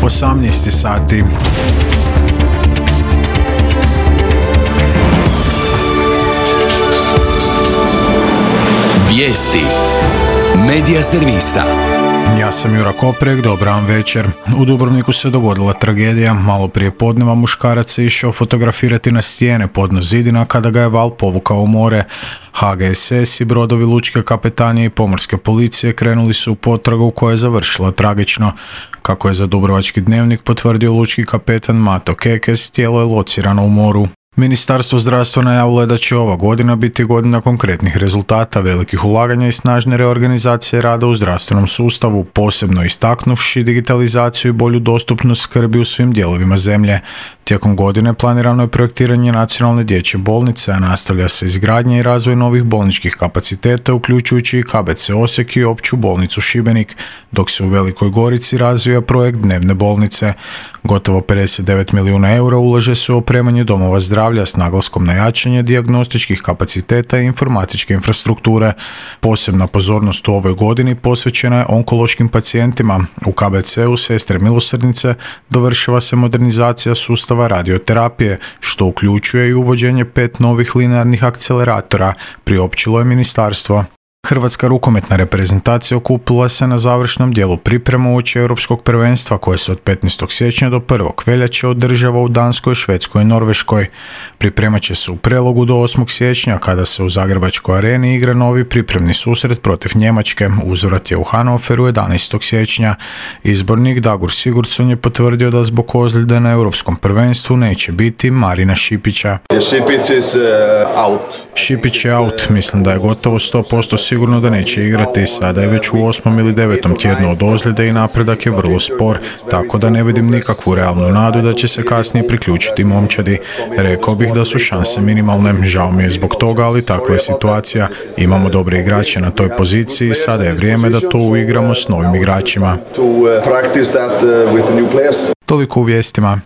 18 sati. Vijesti Medija servisa. Ja sam Jura Koprek, dobar vam večer. U Dubrovniku se dogodila tragedija. Malo prije podneva muškarac se išao fotografirati na stijene podno zidina kada ga je val povukao u more. HGSS i brodovi lučke kapetanije i pomorske policije krenuli su u potragu koja je završila tragično. Kako je za Dubrovački dnevnik potvrdio lučki kapetan Mato Kekes, tijelo je locirano u moru. Ministarstvo zdravstva najavilo je da će ova godina biti godina konkretnih rezultata, velikih ulaganja i snažne reorganizacije rada u zdravstvenom sustavu, posebno istaknuvši digitalizaciju i bolju dostupnost skrbi u svim dijelovima zemlje. Tijekom godine planirano je projektiranje nacionalne dječje bolnice, a nastavlja se izgradnja i razvoj novih bolničkih kapaciteta, uključujući i KBC Osijek i opću bolnicu Šibenik, dok se u Velikoj Gorici razvija projekt dnevne bolnice. Gotovo 59 milijuna eura ulaže se u opremanje domova zdravlja s naglaskom na jačanje dijagnostičkih kapaciteta i informatičke infrastrukture. Posebna pozornost u ovoj godini posvećena je onkološkim pacijentima. U KBC-u Sestre Milosrdnice dovršava se modernizacija sustava radioterapije, što uključuje i uvođenje 5 novih linearnih akceleratora, priopćilo je ministarstvo. Hrvatska rukometna reprezentacija okupila se na završnom dijelu priprema uoči Europskog prvenstva koje se od 15. siječnja do 1. veljače održava u Danskoj, Švedskoj i Norveškoj. Pripremat će se u Prelogu do 8. siječnja kada se u Zagrebačkoj areni igra novi pripremni susret protiv Njemačke. Uzvrat je u Hannoveru 11. siječnja. Izbornik Dagur Sigurdsson je potvrdio da zbog ozljede na Europskom prvenstvu neće biti Marina Šipića. Šipić je out, mislim da je gotovo 100% sigurno da neće igrati, sada je već u 8. ili 9. tjednu od ozljede i napredak je vrlo spor, tako da ne vidim nikakvu realnu nadu da će se kasnije priključiti momčadi. Rekao bih da su šanse minimalne, žao mi je zbog toga, ali takva je situacija. Imamo dobre igrače na toj poziciji, sada je vrijeme da to uigramo s novim igračima. Toliko u vijestima.